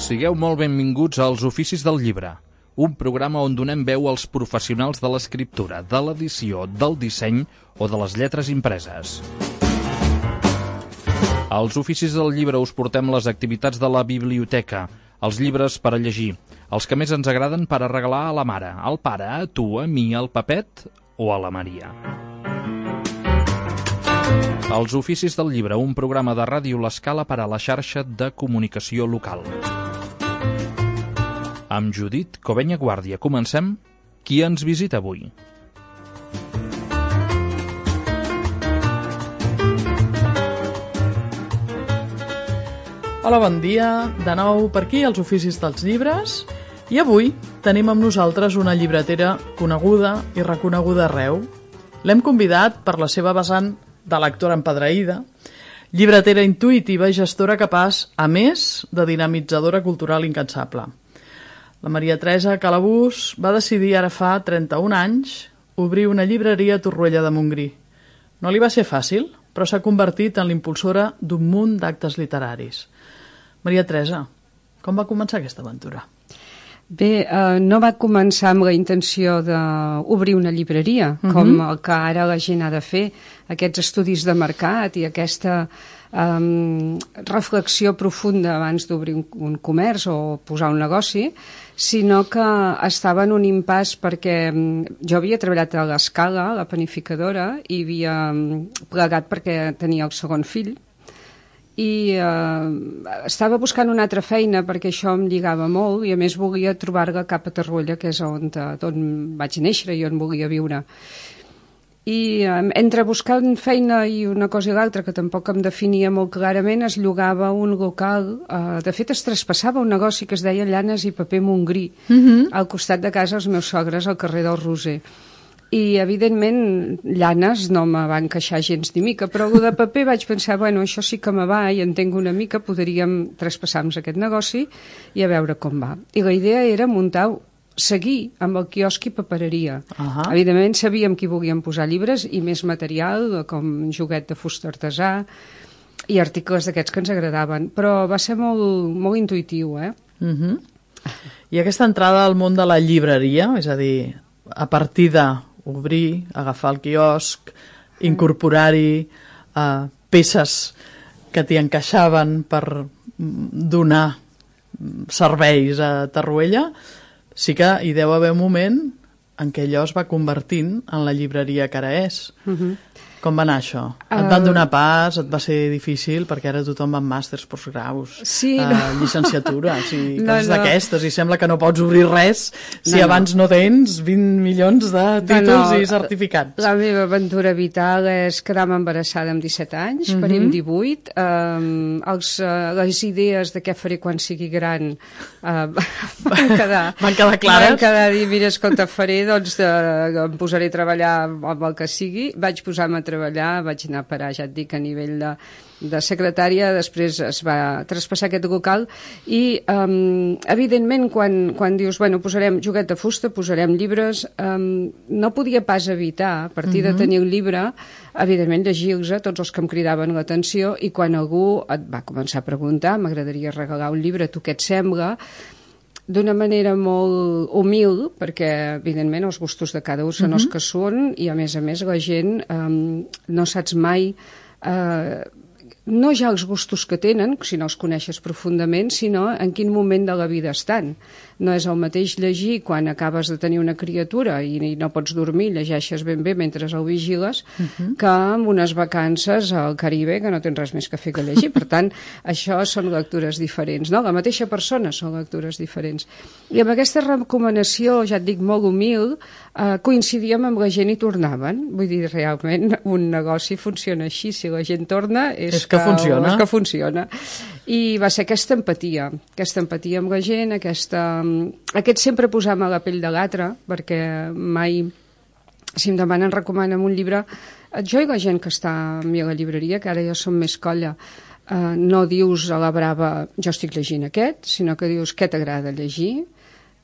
Sigueu molt benvinguts als Oficis del Llibre, un programa on donem veu als professionals de l'escriptura, de l'edició, del disseny o de les lletres impreses. Als Oficis del Llibre us portem les activitats de la biblioteca, els llibres per a llegir, els que més ens agraden per a regalar a la mare, al pare, a tu, a mi, al Pepet o a la Maria. Els Oficis del Llibre, un programa de Ràdio L'Escala per a la xarxa de comunicació local. Amb Judit Covenya Guàrdia comencem. Qui ens visita avui? Hola, bon dia. De nou per aquí, als Oficis dels Llibres. I avui tenim amb nosaltres una llibretera coneguda i reconeguda arreu. L'hem convidat per la seva vessant de lectora empadreïda, llibretera intuïtiva i gestora capaç, a més, de dinamitzadora cultural incansable. La Maria Teresa Calabús va decidir ara fa 31 anys obrir una llibreria a Torroella de Montgrí. No li va ser fàcil, però s'ha convertit en l'impulsora d'un munt d'actes literaris. Maria Teresa, com va començar aquesta aventura? Bé, no va començar amb la intenció d'obrir una llibreria, com el que ara la gent ha de fer, aquests estudis de mercat i aquesta reflexió profunda abans d'obrir un comerç o posar un negoci, sinó que estava en un impàs perquè jo havia treballat a l'Escala, la panificadora, i havia plegat perquè tenia el segon fill, i estava buscant una altra feina perquè això em lligava molt i a més volia trobar-la cap a Torroella, que és on vaig néixer i on volia viure. I entre buscant feina i una cosa i l'altra, que tampoc em definia molt clarament, es llogava un local, de fet es traspassava un negoci que es deia Llanes i Paper Montgrí, al costat de casa els meus sogres, al carrer del Roser. I, evidentment, llanes no me va encaixar gens ni mica, però el de paper vaig pensar, bueno, això sí que me va i entenc una mica, podríem traspassar-nos aquest negoci i a veure com va. I la idea era seguir amb el quiosc i papereria. Evidentment, sabíem que hi volíem posar llibres i més material, com joguet de fusta artesà i articles d'aquests que ens agradaven, però va ser molt intuïtiu, I aquesta entrada al món de la llibreria, és a dir, a partir d'obrir, agafar el quiosc, incorporar-hi peces que t'hi encaixaven per donar serveis a Torroella, sí que hi deu haver un moment en què allò es va convertint en la llibreria que ara és. Com va anar això? Et van donar pas? Et va ser difícil? Perquè ara tothom va amb màsters, postgraus, llicenciatures i coses d'aquestes, i sembla que no pots obrir res si abans no tens 20 milions de títols i certificats. La meva aventura vital és quedar-me embarassada amb 17 anys, parir amb 18. Les idees de què faré quan sigui gran van quedar clares. Van quedar dir, mira, escolta, faré, doncs em posaré a treballar amb el que sigui. Vaig posar-me a treballar, vaig anar a parar, ja et dic, a nivell de secretària, després es va traspassar aquest local i, evidentment, quan dius, bueno, posarem joguet de fusta, posarem llibres, no podia pas evitar, a partir de tenir el llibre, evidentment, llegir-los tots els que em cridaven l'atenció, i quan algú et va començar a preguntar, m'agradaria regalar un llibre, tu què et sembla?, d'una manera molt humil, perquè, evidentment, els gustos de cada un són els que són, i, a més, la gent no saps mai no ja els gustos que tenen, si no els coneixes profundament, sinó en quin moment de la vida estan. No és el mateix llegir quan acabes de tenir una criatura i no pots dormir, llegeixes ben bé mentre el vigiles, que amb unes vacances al Caribe que no tens res més que fer que llegir. Per tant, això són lectures diferents, no? La mateixa persona són lectures diferents. I amb aquesta recomanació, ja et dic, molt humil, coincidíem amb la gent i tornaven. Vull dir, realment, un negoci funciona així. Si la gent torna, és que funciona. És que funciona. I va ser aquesta empatia amb la gent, aquest sempre posar-me a la pell de l'altre, perquè mai, si em demanen, recomana'm un llibre, jo i la gent que està a mi a la llibreria, que ara ja som més colla, no dius a la brava, jo estic llegint aquest, sinó que dius què t'agrada llegir,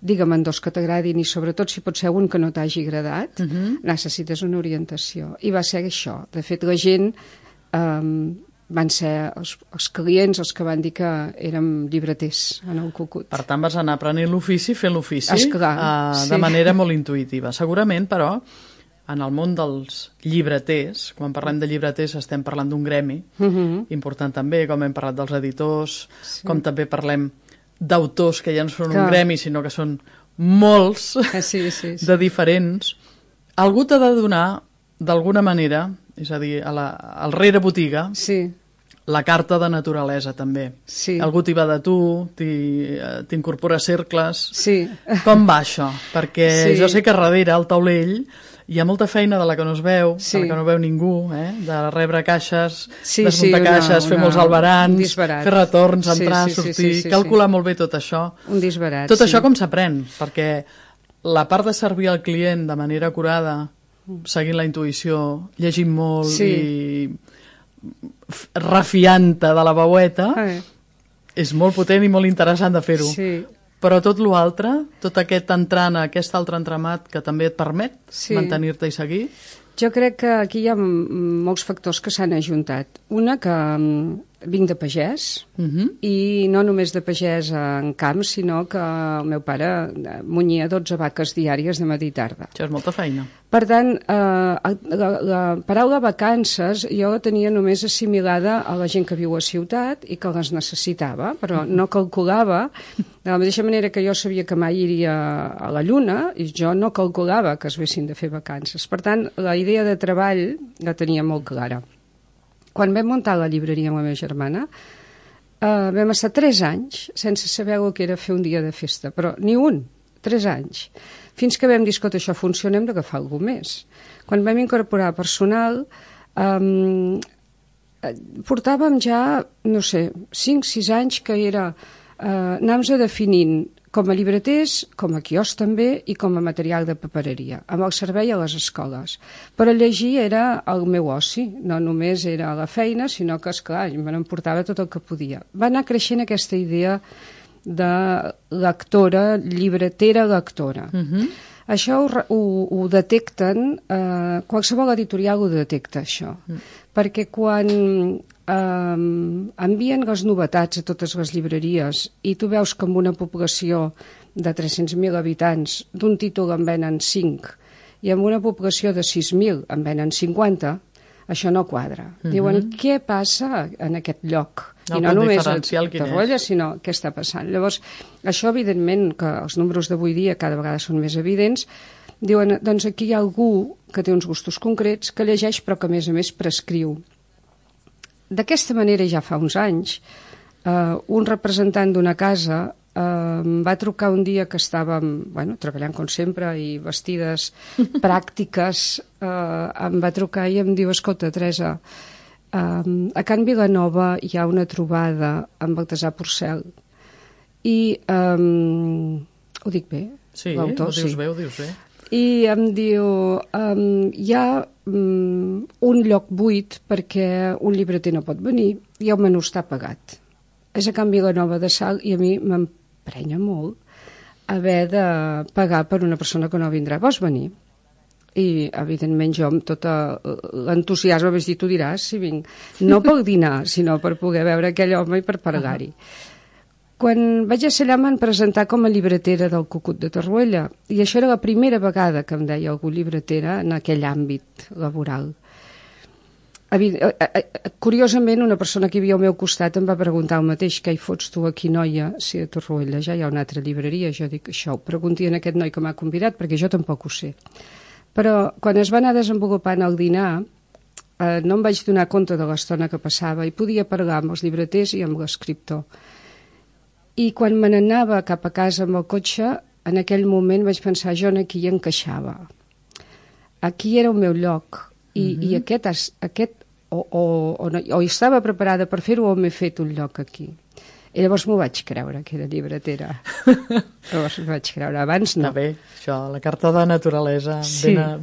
digue'm dos que t'agradin i sobretot si pot ser un que no t'hagi agradat, necessites una orientació. I va ser això. De fet, la gent van ser els clients els que van dir que érem llibreters en el Cucut. Per tant, vas anar aprenent l'ofici, fent l'ofici, Esclar, de manera molt intuïtiva. Segurament, però, en el món dels llibreters, quan parlem de llibreters estem parlant d'un gremi, important també, com hem parlat dels editors, com també parlem d'autors que ja no són un gremi, sinó que són molts de diferents. Algú t'ha de donar, d'alguna manera, és a dir, al rere botiga, la carta de naturalesa, també. Algú t'hi va de tu, t'incorpora cercles. Com va això? Perquè jo sé que darrere, al taulell, hi ha molta feina de la que no es veu, de la que no veu ningú, de rebre caixes, desmuntar caixes, fer molts albarans, fer retorns, entrar, sortir, calcular molt bé tot això. Un disbarat, tot això com s'aprèn? Perquè la part de servir al client de manera acurada, seguint la intuïció, llegint molt i refiant-te de la veueta, és molt potent i molt interessant de fer-ho. Però tot l'altre, tot aquest entrant a aquest altre entramat que també et permet mantenir-te i seguir? Jo crec que aquí hi ha molts factors que s'han ajuntat. Una, que vinc de pagès, i no només de pagès en camp, sinó que el meu pare munyia 12 vaques diàries de matí i tarda. Això és molta feina. Per tant, la paraula vacances jo la tenia només assimilada a la gent que viu a ciutat i que les necessitava, però no calculava, de la mateixa manera que jo sabia que mai iria a la Lluna, i jo no calculava que es vessin de fer vacances. Per tant, la idea de treball la tenia molt clara. Quan vam muntar la llibreria amb la meva germana, vam estar 3 anys sense saber el que era fer un dia de festa, però ni un, 3 anys. Fins que vam dir, escolta, això funciona, hem d'agafar alguna més. Quan vam incorporar personal, portàvem ja, no sé, 5-6 anys que era anar-nos definint com a llibreters, com a quiosc també, i com a material de papereria, amb el servei a les escoles. Però llegir era el meu oci, no només era la feina, sinó que, esclar, me n'emportava tot el que podia. Va anar creixent aquesta idea de lectora, llibretera lectora. Això ho detecten, qualsevol editorial ho detecta, això. Perquè quan envien les novetats a totes les llibreries i tu veus que amb una població de 300.000 habitants d'un títol en venen 5 i amb una població de 6.000 en venen 50, això no quadra. Diuen, què passa en aquest lloc? I no només a Torroella, sinó què està passant. Llavors, això, evidentment, que els números d'avui dia cada vegada són més evidents, diuen, doncs aquí hi ha algú que té uns gustos concrets, que llegeix però que a més prescriu. D'aquesta manera, ja fa uns anys, un representant d'una casa em va trucar un dia que estàvem treballant com sempre i vestides pràctiques, em va trucar i em diu, escolta, Teresa, a Can Vilanova hi ha una trobada amb Baltasar Porcel i ho dic bé? Sí, ho dius bé, ho dius bé. I em diu, hi ha un lloc buit perquè un llibreter no pot venir i el menú està pagat. És a Can Vilanova de Salt i a mi m'emprenya molt haver de pagar per una persona que no vindrà. Vols venir? I, evidentment, jo amb tot l'entusiasme vaig dir, tu diràs si vinc. No pel dinar, sinó per poder veure aquell home i per parlar-hi. Quan vaig a ser allà m'han presentat com a llibretera del Cucut de Torroella i això era la primera vegada que em deia algú llibretera en aquell àmbit laboral. Curiosament, una persona que hi havia al meu costat em va preguntar el mateix, què hi fots tu aquí, noia, si a Torroella ja hi ha una altra llibreria? Jo dic, això ho pregunti a aquest noi que m'ha convidat perquè jo tampoc ho sé. Però quan es va anar desenvolupant el dinar no em vaig donar compte de l'estona que passava i podia parlar amb els llibreters i amb l'escriptor. I quan me n'anava cap a casa amb el cotxe, en aquell moment vaig pensar, jo aquí hi encaixava. Aquí era el meu lloc. I aquest o estava preparada per fer-ho o m'he fet un lloc aquí. I llavors m'ho vaig creure, que era llibretera. Llavors m'ho vaig creure, abans no. Està bé, això, la carta de naturalesa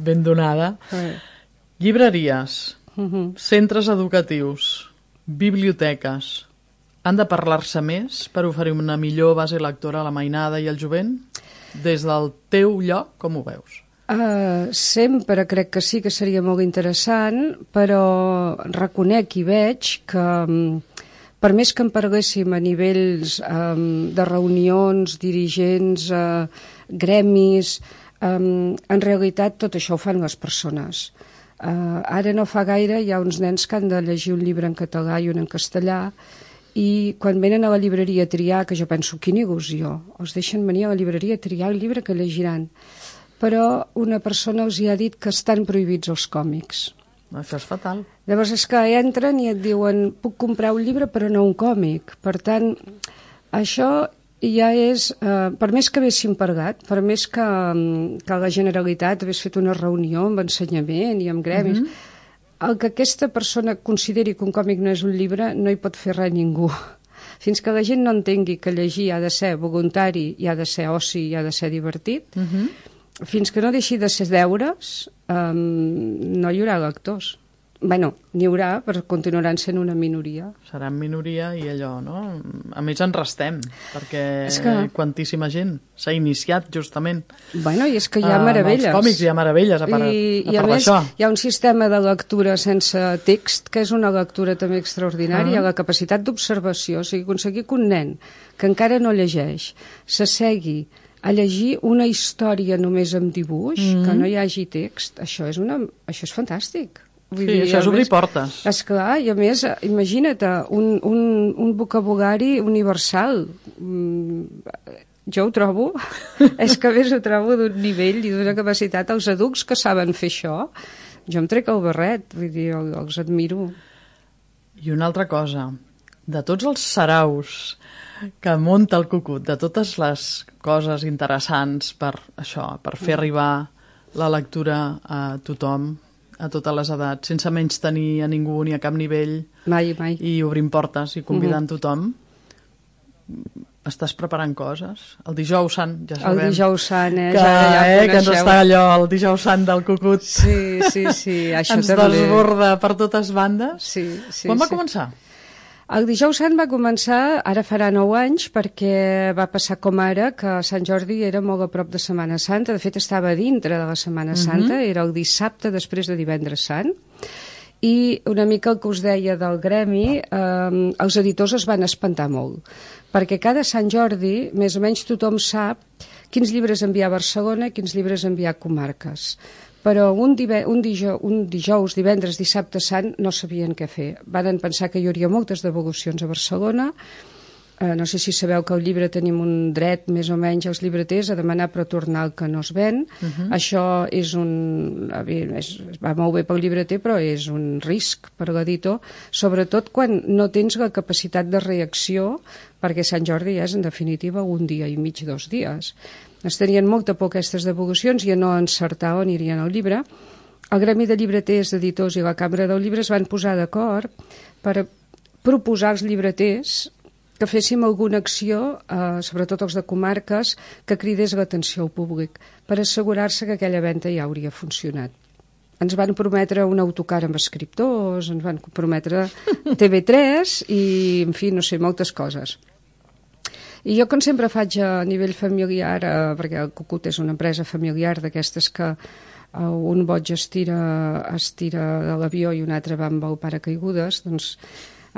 ben donada. Llibreries, centres educatius, biblioteques, han de parlar-se més per oferir una millor base lectora a la mainada i al jovent? Des del teu lloc, com ho veus? Sempre crec que sí que seria molt interessant, però reconec i veig que per més que en parléssim a nivells de reunions, dirigents, gremis, en realitat tot això ho fan les persones. Ara no fa gaire hi ha uns nens que han de llegir un llibre en català i un en castellà, i quan venen a la llibreria a triar, que jo penso, quina il·lusió, els deixen venir a la llibreria a triar el llibre que llegiran. Però una persona els hi ha dit que estan prohibits els còmics. Això és fatal. Llavors és que entren i et diuen puc comprar un llibre però no un còmic. Per tant, això ja és, per més que haguéssim parlat, per més que la Generalitat hagués fet una reunió amb ensenyament i amb gremis, el que aquesta persona consideri que un còmic no és un llibre no hi pot fer res ningú. Fins que la gent no entengui que llegir ha de ser voluntari, i ha de ser oci, i ha de ser divertit, fins que no deixi de ser deures, no hi haurà lectors. Bueno, n'hi haurà, però continuaran sent una minoria. Seran minoria i allò, no? A més en restem, perquè quantíssima gent s'ha iniciat justament. Bueno, i és que hi ha meravelles. Amb els còmics hi ha meravelles, a part d'això. Hi ha un sistema de lectura sense text, que és una lectura també extraordinària, la capacitat d'observació, o sigui, aconseguir que un nen que encara no llegeix s'assegui a llegir una història només amb dibuix, que no hi hagi text, això és fantàstic. Vull dir, això és obrir portes. Esclar, i a més, imagina't, un vocabulari universal. Jo ho trobo, és que a més ho trobo d'un nivell i d'una capacitat. Els adults que saben fer això, jo em trec el barret, vull dir, els admiro. I una altra cosa, de tots els saraus que munta el Cucut, de totes les coses interessants per això, per fer arribar la lectura a tothom, a totes les edats, sense menys tenir a ningú ni a cap nivell, mai. I obrint portes i convidant tothom. Estàs preparant coses? El dijous sant, ja sabem. El dijous sant, que ens està allò, el dijous sant del Cucut. Sí, això ens desborda per totes bandes. Sí. Quan va començar? El dijous sant va començar, ara farà 9 anys, perquè va passar com ara, que Sant Jordi era molt a prop de Setmana Santa. De fet, estava dintre de la Setmana Santa, era el dissabte després de Divendres Sant. I una mica el que us deia del gremi, els editors es van espantar molt, perquè cada Sant Jordi, més o menys tothom sap quins llibres enviar a Barcelona i quins llibres enviar a comarques. Però un dijous, divendres, dissabte sant, no sabien què fer. Van pensar que hi hauria moltes devolucions a Barcelona. No sé si sabeu que al llibre tenim un dret, més o menys, als llibreters a demanar per tornar el que no es ven. Això és va molt bé pel llibreter, però és un risc per l'editor, sobretot quan no tens la capacitat de reacció, perquè Sant Jordi és, en definitiva, un dia i mig, 2 dies. Es tenien molta por aquestes devolucions i a no encertar on anirien al llibre. El Gremi de Llibreters, Editors i la Cambra del Llibre es van posar d'acord per proposar als llibreters que féssim alguna acció, sobretot els de comarques, que cridés l'atenció al públic, per assegurar-se que aquella venda ja hauria funcionat. Ens van prometre un autocar amb escriptors, ens van prometre TV3 i, en fi, no sé, moltes coses. I jo, com sempre faig a nivell familiar, perquè el Cucut és una empresa familiar d'aquestes que un boig es tira de l'avió i un altre va amb el paracaigudes, doncs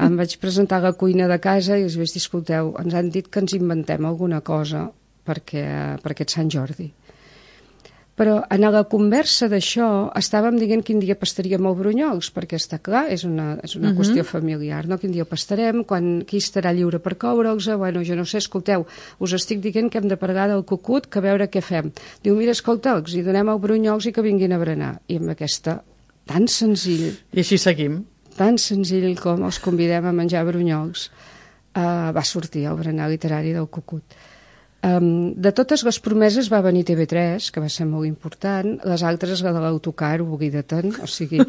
em vaig presentar a la cuina de casa i els vaig dir, escolteu, ens han dit que ens inventem alguna cosa per aquest Sant Jordi. Però en la conversa d'això estàvem dient quin dia pastaríem el brunyols, perquè està clar, és una qüestió familiar, no? Quin dia pastarem, qui estarà lliure per coure'ls, bueno, jo no sé, escolteu, us estic dient que hem de parlar del Cucut, que a veure què fem. Diu, mira, escolta, els hi donem el brunyols i que vinguin a berenar. I amb aquesta, tan senzill... I així seguim. Tan senzill com els convidem a menjar brunyols, va sortir el berenar literari del Cucut. De totes les promeses va venir TV3, que va ser molt important, les altres, la de l'autocar, oblida-te'n, o sigui,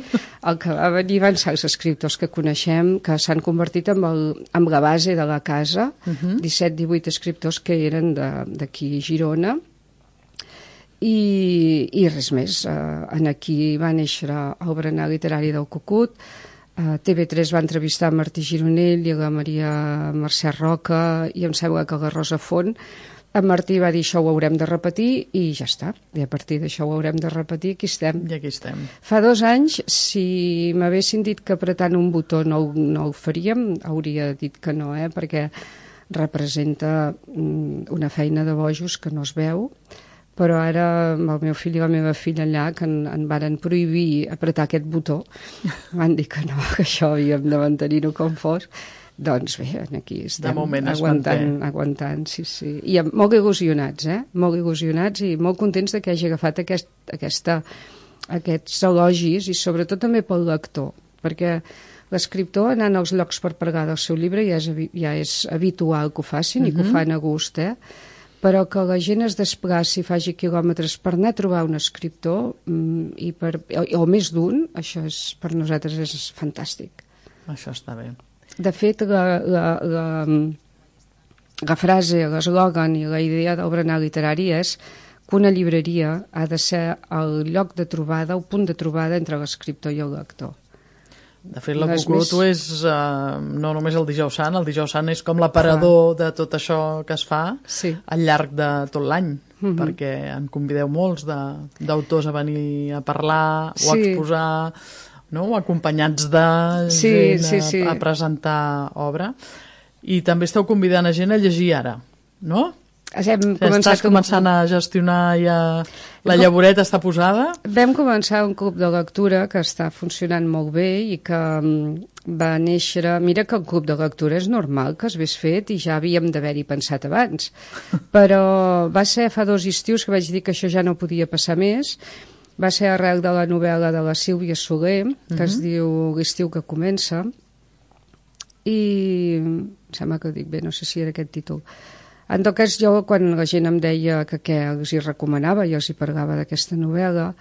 el que va venir van ser els escriptors que coneixem, que s'han convertit en la base de la casa, 17-18 escriptors que eren d'aquí Girona, i res més. Aquí va néixer el berenar literari del Cucut. TV3 va entrevistar a Martí Gironell i a la Maria Mercè Roca i em sembla que a la Rosa Font, En Martí va dir això ho haurem de repetir i ja està. I a partir d'això ho haurem de repetir, aquí estem. I aquí estem. Fa 2 anys, si m'haguessin dit que apretant un botó no ho faríem, hauria dit que no, perquè representa una feina de bojos que no es veu, però ara amb el meu fill i la meva filla allà que en varen prohibir apretar aquest botó, van dir que no, que això havíem de mantenir-ho com fos. Doncs bé, aquí estem aguantant, sí. I molt il·lusionats, molt il·lusionats i molt contents de que hagi agafat aquests elogis i sobretot també pel lector, perquè l'escriptor anant als llocs per parlar del seu llibre ja és habitual que ho facin i que ho fan a gust, però que la gent es desplaci i faci quilòmetres per anar a trobar un escriptor o més d'un, això per nosaltres és fantàstic. Això està bé. De fet, la frase, l'eslògan i la idea del berenar literari és que una llibreria ha de ser el lloc de trobada, el punt de trobada entre l'escriptor i el lector. De fet, la Cucuruto és no només el Dijous Sant, el Dijous Sant és com l'aparador de tot això que es fa al llarg de tot l'any, perquè en convideu molts d'autors a venir a parlar o a exposar, acompanyats de gent a presentar obra. I també esteu convidant a gent a llegir ara, no? Estàs començant a gestionar ja... La llavoreta està posada? Vam començar un club de lectura que està funcionant molt bé i que va néixer... Mira que el club de lectura és normal que es hagués fet i ja havíem d'haver-hi pensat abans. Però va ser fa 2 estius que vaig dir que això ja no podia passar més. Va ser arrel de la novel·la de la Sílvia Soler, que es diu L'estiu que comença, i em sembla que ho dic bé, no sé si era aquest títol. En tot cas, jo, quan la gent em deia que què els hi recomanava, jo els hi parlava d'aquesta novel·la,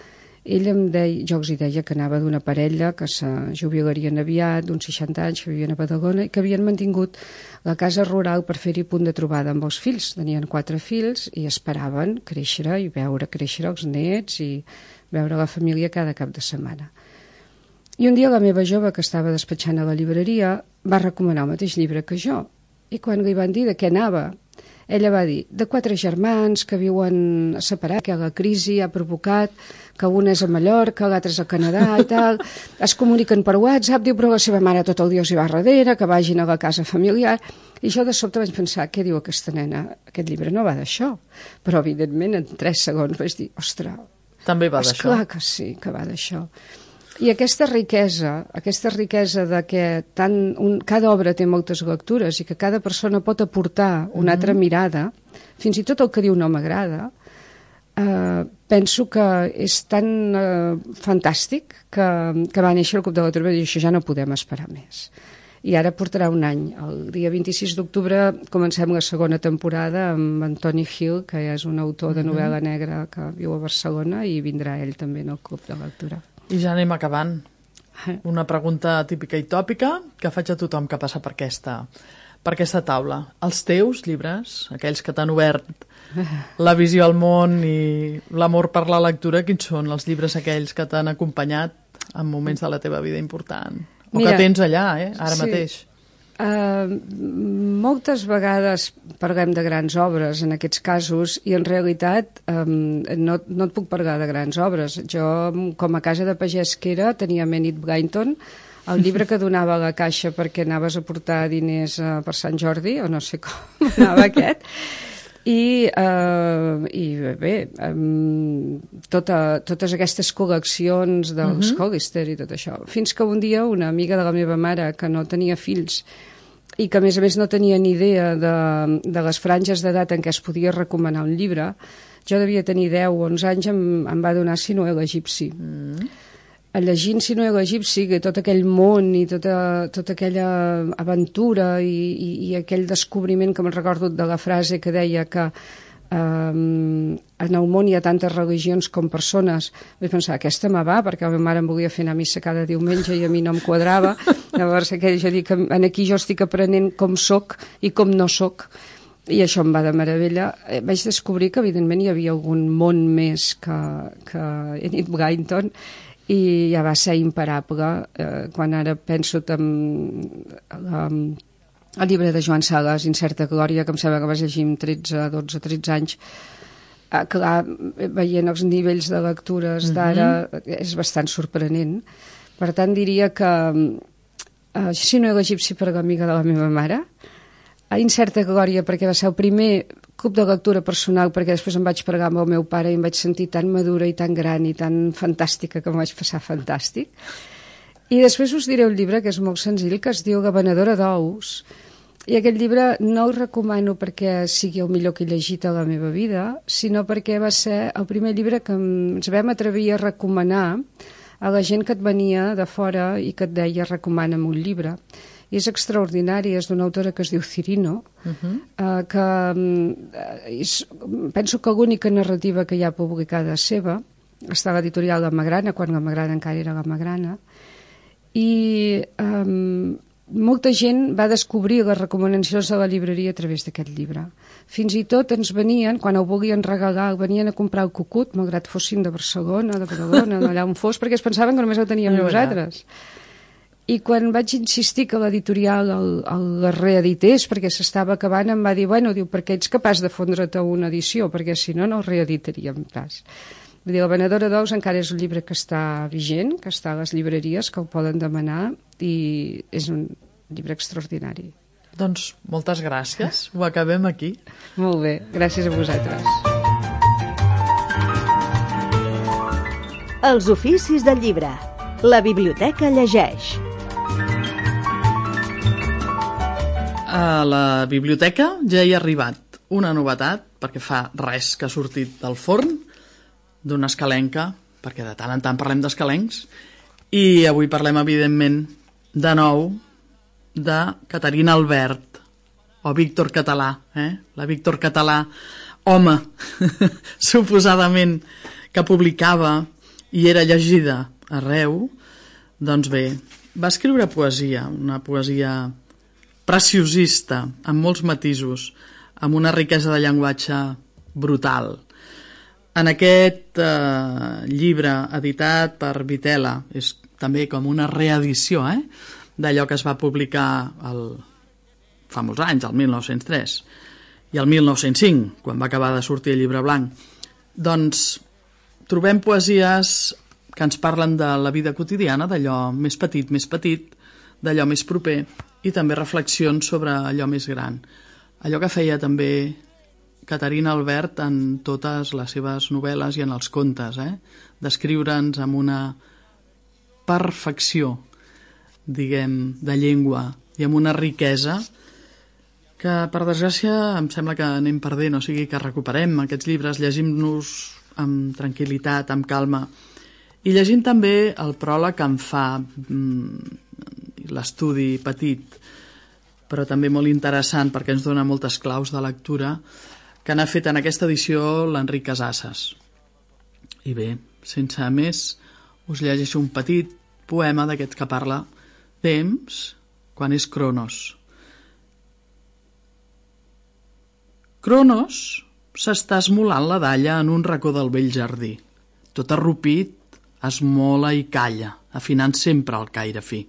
jo els hi deia que anava d'una parella que se jubilarien aviat, d'uns 60 anys, que vivien a Badalona, i que havien mantingut la casa rural per fer-hi punt de trobada amb els fills. Tenien 4 fills i esperaven créixer i veure créixer els nets i veure la família cada cap de setmana. I un dia la meva jove, que estava despatxant a la llibreria, va recomanar el mateix llibre que jo. I quan li van dir de què anava, ella va dir, de 4 germans que viuen separats, que la crisi ha provocat que un és a Mallorca, l'altre és a Canadà i tal, es comuniquen per WhatsApp, diu, però la seva mare tot el dia els hi va darrere, que vagin a la casa familiar. I jo de sobte vaig pensar, què diu aquesta nena? Aquest llibre no va d'això. Però, evidentment, en 3 segons vaig dir, ostres, també va d'això. Esclar que sí, que va d'això. I aquesta riquesa de que cada obra té moltes lectures i que cada persona pot aportar una altra mirada, fins i tot el que diu no m'agrada, penso que és tan fantàstic que va néixer el Club de Lectura i això ja no podem esperar més. I ara portarà un any. El dia 26 d'octubre comencem la segona temporada amb Antoni Gil, que és un autor de novel·la negra que viu a Barcelona, i vindrà ell també en el Club de Lectura. I ja anem acabant. Una pregunta típica i tòpica que faig a tothom que passa per aquesta taula. Els teus llibres, aquells que t'han obert la visió al món i l'amor per la lectura, quins són els llibres aquells que t'han acompanyat en moments de la teva vida important? O que tens allà, ara mateix? Moltes vegades parlem de grans obres en aquests casos i en realitat no et puc parlar de grans obres. Jo, com a casa de pagès que era, tenia Enid Blyton, el llibre que donava a la caixa perquè anaves a portar diners per Sant Jordi, o no sé com anava aquest, i bé, totes aquestes col·leccions dels Hollister i tot això. Fins que un dia una amiga de la meva mare, que no tenia fills i que a més no tenia ni idea de les franges d'edat en què es podia recomanar un llibre, jo devia tenir 10 o 11 anys, em va donar Sinuhe l'egipci. Llegint Sinuhe l'egipci, tot aquell món i tota aquella aventura i aquell descobriment que me'n recordo de la frase que deia que en el món hi ha tantes religions com persones, vaig pensar, aquesta me va, perquè la meva mare em volia fer anar a missa cada diumenge i a mi no em quadrava. Llavors jo dic, aquí jo estic aprenent com soc i com no soc, i això em va de meravella. Vaig descobrir que evidentment hi havia algun món més que Enid Blyton, i ja va ser imparable. Quan ara penso en el llibre de Joan Sales, Incerta Glòria, que em sembla que vas llegir amb 13 anys. Clar, veient els nivells de lectures d'ara és bastant sorprenent. Per tant, diria que si no l'egipci pergamí de la meva mare, a Incerta Glòria perquè va ser el primer club de lectura personal, perquè després em vaig pregar amb el meu pare i em vaig sentir tan madura i tan gran i tan fantàstica que em vaig passar fantàstic. I després us diré un llibre que és molt senzill, que es diu La venedora d'ous. I aquest llibre no el recomano perquè sigui el millor que he llegit a la meva vida, sinó perquè va ser el primer llibre que ens vam atrevir a recomanar a la gent que et venia de fora i que et deia recomana'm un llibre. I és extraordinari, és d'una autora que es diu Cirino, que penso que l'única narrativa que hi ha publicada seva està a l'editorial Gama Grana, quan Gama Grana encara era Gama Grana, i molta gent va descobrir les recomanacions de la llibreria a través d'aquest llibre. Fins i tot ens venien, quan ho volien regalar, venien a comprar el Cucut, malgrat fossin de Barcelona, de Badalona, d'allà on fos, perquè es pensaven que només el teníem nosaltres. I quan vaig insistir que l'editorial el reedités, perquè s'estava acabant, em va dir, bueno, diu, perquè ets capaç de fondre't a una edició, perquè si no, no el reeditaríem pas. Vull dir, La venedora d'ous encara és un llibre que està vigent, que està a les llibreries, que el poden demanar, i és un llibre extraordinari. Doncs moltes gràcies, ho acabem aquí. Molt bé, gràcies a vosaltres. Els oficis del llibre. La biblioteca llegeix. A la biblioteca ja hi ha arribat una novetat, perquè fa res que ha sortit del forn, d'una escalenca, perquè de tant en tant parlem d'escalencs, i avui parlem, evidentment, de nou, de Caterina Albert, o Víctor Català, la Víctor Català, home, suposadament, que publicava i era llegida arreu. Doncs bé, va escriure poesia, una poesia preciosista, amb molts matisos, amb una riquesa de llenguatge brutal. En aquest llibre editat per Vitela, és també com una reedició d'allò que es va publicar fa molts anys, el 1903, i el 1905, quan va acabar de sortir el Llibre Blanc. Doncs trobem poesies que ens parlen de la vida quotidiana, d'allò més petit, d'allò més proper, i també reflexions sobre allò més gran. Allò que feia també Caterina Albert en totes les seves novel·les i en els contes, d'escriure'ns amb una perfecció, diguem, de llengua i amb una riquesa que, per desgràcia, em sembla que anem perdent, o sigui que recuperem aquests llibres, llegim-nos amb tranquil·litat, amb calma, i llegint també el pròleg que en fa l'estudi petit, però també molt interessant perquè ens dona moltes claus de lectura, que n'ha fet en aquesta edició l'Enric Casasses. I bé, sense més, us llegeixo un petit poema d'aquest que parla temps quan és Cronos. Cronos s'està esmolant la dalla en un racó del vell jardí. Tot arrupit, esmola i calla, afinant sempre el caire fi.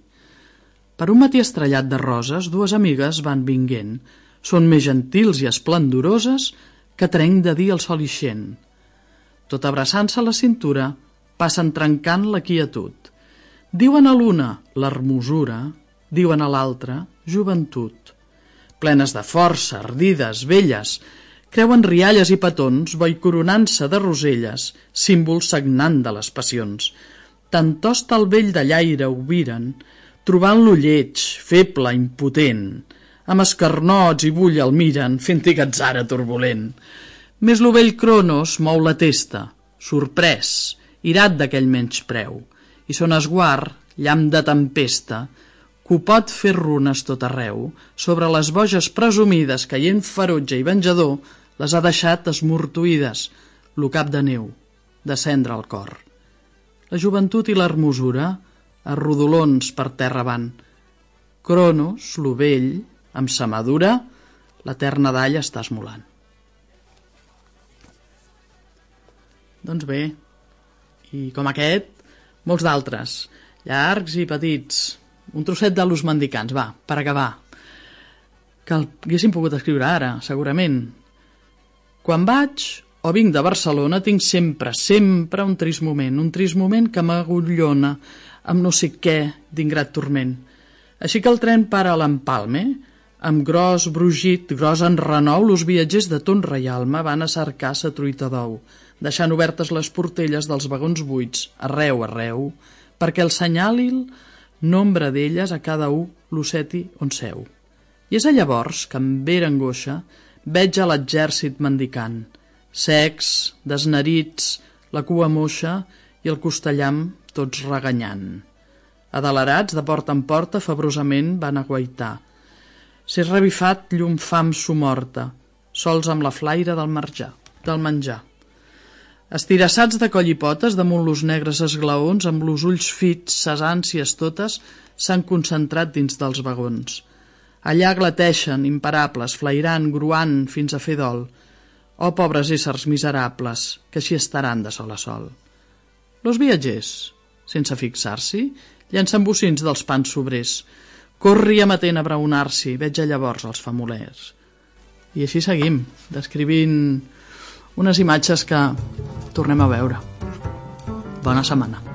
Per un matí estrellat de roses, dues amigues van vinguent. Són més gentils i esplendoroses que trenc de dir el sol ixent. Tot abraçant-se a la cintura, passen trencant la quietud. Diuen a l'una l'hermosura, diuen a l'altra joventut. Plenes de força, ardides, velles, creuen rialles i petons, boi coronant-se de roselles, símbol sagnant de les passions. Tant tost el vell de llaire ho viren, trobant-lo lleig, feble, impotent. Amb escarnots i bull el miren, fent-hi gatzara turbulent. Més lo vell Cronos mou la testa, sorprès, irat d'aquell menyspreu, i son esguard, llamp de tempesta, que ho pot fer runes tot arreu, sobre les boges presumides, caient ferotge i venjador, les ha deixat esmortuïdes, lo cap de neu, de cendra al cor. La joventut i l'hermosura, a rodolons per terra van. Cronos, lo vell, amb sa madura, l'eterna dalla està esmolant. Doncs bé, i com aquest, molts d'altres, llargs i petits. Un trosset de Los Mendicants, va, per acabar. que el haguéssim pogut escriure ara, segurament. Quan vaig o vinc de Barcelona tinc sempre un trist moment que m'agullona amb no sé què d'ingrat turment. Així que el tren para a l'empalme, amb gros brugit, gros enrenou, los viatgers de ton reialme van a cercar sa truita d'ou, deixant obertes les portelles dels vagons buits, arreu, perquè el senyali el nombre d'elles a cada un l'osseti on seu. I és llavors que, amb vera angoixa, veig a l'exèrcit mendicant, secs, desnerits, la cua moixa i el costellam tots reganyant. Adelerats, de porta en porta, febrosament van a guaitar. S'és revifat llum fam somorta, sols amb la flaire del menjar. Estirassats de coll i potes, damunt los negres esglaons, amb los ulls fits, ses ànsies totes, s'han concentrat dins dels vagons. Allà glateixen, imparables, flairant, gruant, fins a fer dol. Oh, pobres éssers miserables, que així estaran de sol a sol. Los viatgers, sense fixar-s'hi, llancen bocins dels pans sobrers. Corri amatent a braonar-s'hi, veig llavors els famolers. I així seguim, descrivint unes imatges que tornem a veure. Bona setmana.